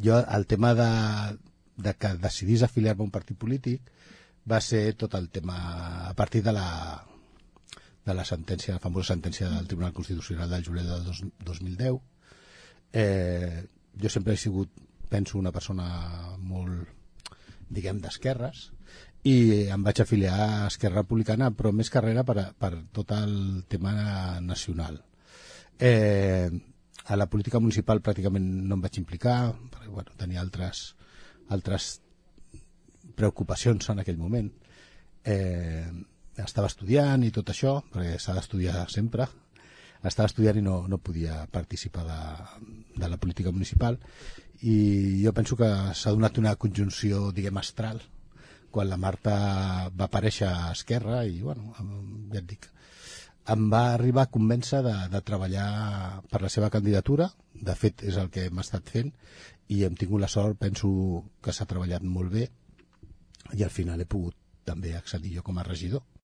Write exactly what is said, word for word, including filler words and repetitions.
jo el tema de, de que decidís afiliar-me a un partit polític va ser tot el tema a partir de la de la sentència, la famosa sentència del Tribunal Constitucional del juliol del dos, dos mil deu. Eh, jo sempre he sigut, penso, una persona molt, diguem, d'esquerres, i em vaig afiliar a Esquerra Republicana, però més carrera per, a, per tot el tema nacional. Eh, a la política municipal pràcticament no em vaig implicar, perquè bueno, tenia altres, altres preocupacions en aquell moment. Eh, estava estudiant i tot això, perquè s'ha d'estudiar sempre. Estava estudiant i no, no podia participar de, de la política municipal, i jo penso que s'ha donat una conjunció, diguem, astral, quan la Marta va aparèixer a Esquerra, i bueno, ja et dic, em va arribar a convèncer de, de treballar per la seva candidatura. De fet és el que hem estat fent, i hem tingut la sort, penso que s'ha treballat molt bé, i al final he pogut també accedir jo com a regidor.